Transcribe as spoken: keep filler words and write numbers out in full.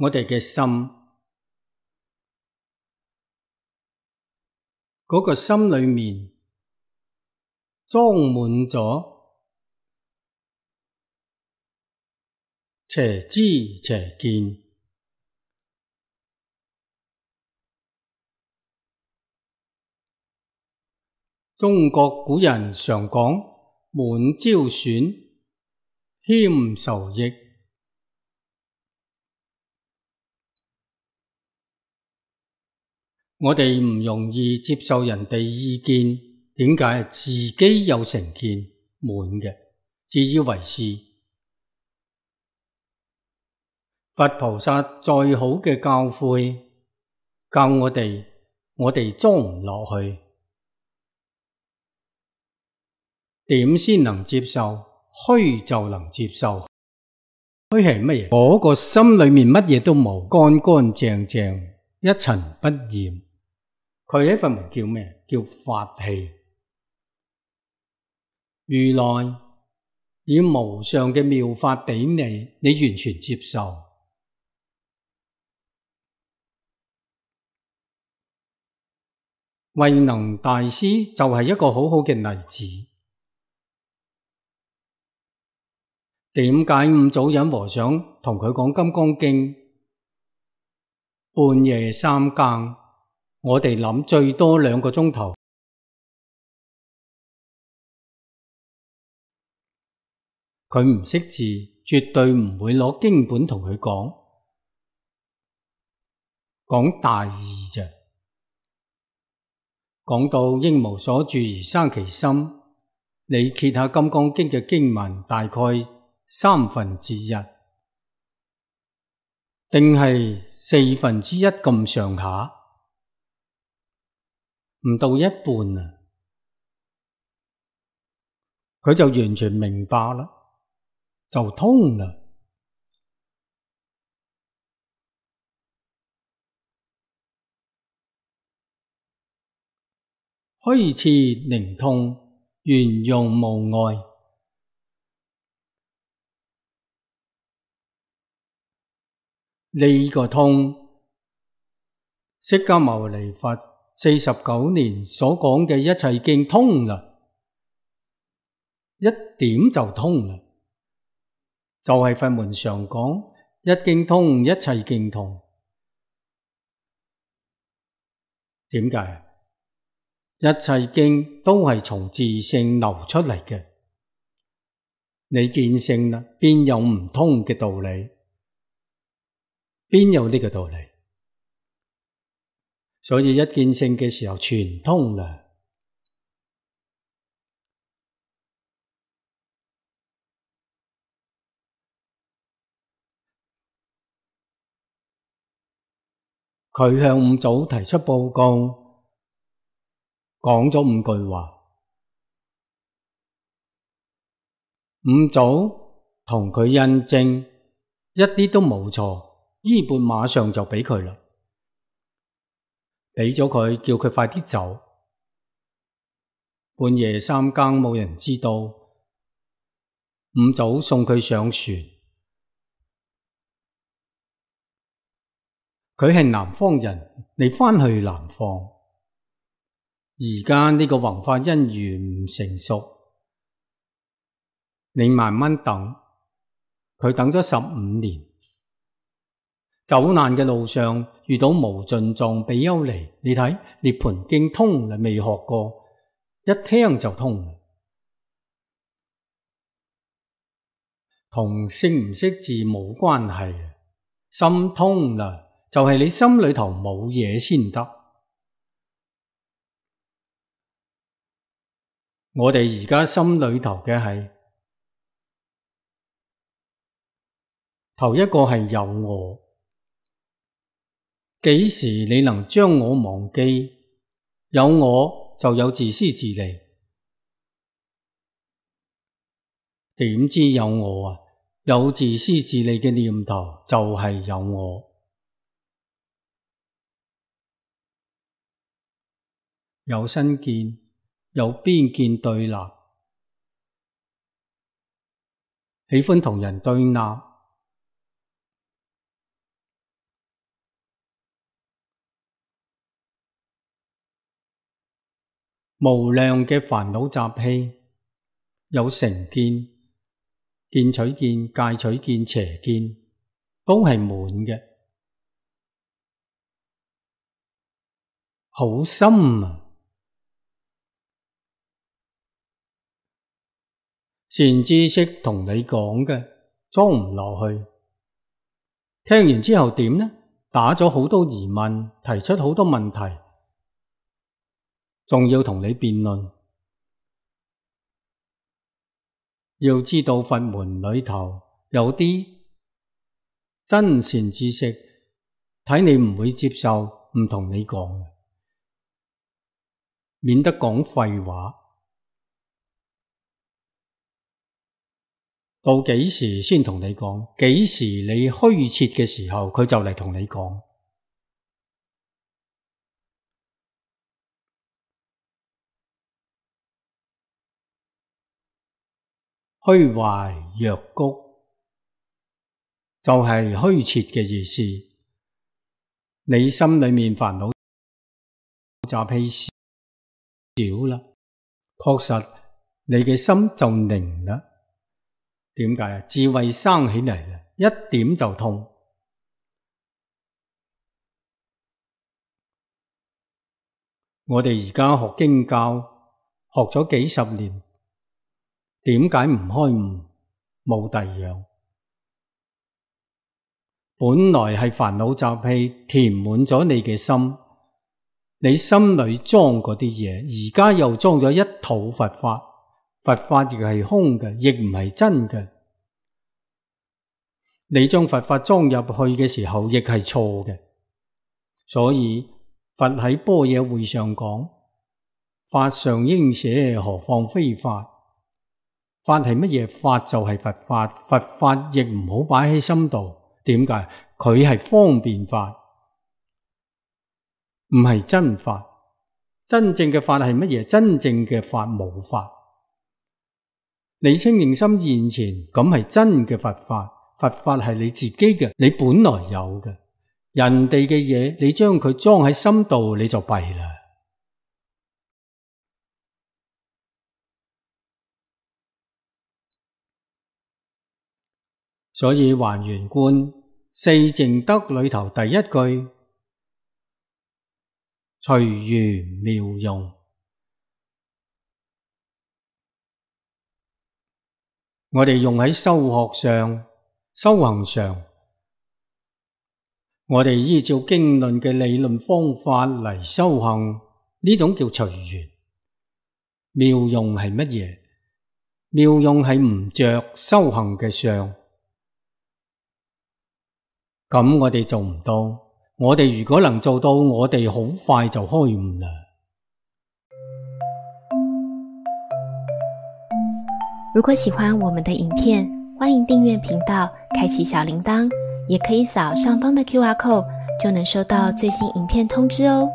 我哋嘅心，嗰個心裏面裝滿咗邪知邪見。中國古人常講滿招損，謙受益。我哋唔容易接受人哋意見，點解？自己有成見，滿嘅，自以為是。佛菩薩再好嘅教誨，教我哋，我哋裝唔落去。點先能接受？虛就能接受。虛係乜嘢？嗰個心裏面乜嘢都冇，乾乾淨淨，一塵不染。佢喺佛門叫咩？叫法器。如來以無上嘅妙法俾你，你完全接受。慧能大師就係一個好好嘅例子。點解五祖忍和尚同佢講《金剛經》，半夜三更，我哋諗最多兩個鐘頭。佢唔識字，絕對唔會攞經本同佢講，講大義啫。講到應無所住而生其心，你揭下《金剛經》嘅經文，大概三分之一，定係四分之一咁上下，唔到一半啊，佢就完全明白啦，就通啦。虛徹靈通，圓融無礙。呢個通，釋迦牟尼佛四十九年所講嘅一切經通啦，一點就通啦，就係佛門常講一經通，一切經通。點解？一切經都係從自性流出嚟嘅，你見性啦，邊有唔通嘅道理？邊有呢個道理？所以一見性嘅時候全通啦。佢向五祖提出報告，講咗五句話。五祖同佢印證，一啲都冇錯。衣缽馬上就俾佢啦，俾咗佢，叫佢快啲走。半夜三更冇人知道，五祖送佢上船。佢係南方人，你返去南方。而家呢個弘法因緣唔成熟，你慢慢等。佢等咗十五年。走難嘅路上遇到無盡藏比丘尼，你睇涅槃經通啦，未學過，一聽就通，同識唔識字冇關係，心通啦，就係你心裏頭冇嘢先得。我哋而家心裏頭嘅係頭一個係有我。幾時你能將我忘記？有我就有自私自利。點知有我啊？有自私自利嘅念頭就係有我。有身見，有邊見對立，喜歡同人對立。無量嘅煩惱習氣，有成見、見取見、戒取見、邪見，都係滿嘅，好深啊！善知識同你講嘅裝唔落去，聽完之後點呢？打咗好多疑問，提出好多問題，仲要同你辯論。要知道佛門裏頭有啲真善知識，睇你唔會接受，唔同你講，免得講廢話。到幾時先同你講？幾時你虛切嘅時候，佢就嚟同你講。虛懷若谷，就係虛切嘅意思。你心裏面煩惱習氣少啦，確實你嘅心就寧啦。點解啊？智慧生起嚟啦，一點就通。我哋而家學經教，學咗幾十年，點解唔開悟？冇第二樣。本來係煩惱習氣填滿咗你嘅心，你心裏裝嗰啲嘢，而家又裝咗一套佛法。佛法亦係空嘅，亦唔係真嘅。你將佛法裝入去嘅時候，亦係錯嘅。所以佛喺般若會上講：法上應捨，何況非法？法係乜嘢？法就係佛法，佛法亦唔好擺喺心度。點解？佢係方便法，唔係真法。真正嘅法係乜嘢？真正嘅法無法。你清淨心現前，咁係真嘅佛法。佛法係你自己嘅，你本來有嘅。人哋嘅嘢，你將佢裝喺心度，你就弊啦。所以還原觀四淨德裏頭第一句，隨緣妙用。我哋用喺修學上、修行上，我哋依照經論嘅理論方法嚟修行，呢種叫隨緣。妙用係乜嘢？妙用係唔着修行嘅相，咁我哋做唔到。我哋如果能做到，我哋好快就開悟啦。如果喜歡我們的影片，歡迎訂閱頻道，開啟小鈴鐺，也可以掃上方的 Q R code，就能收到最新影片通知哦。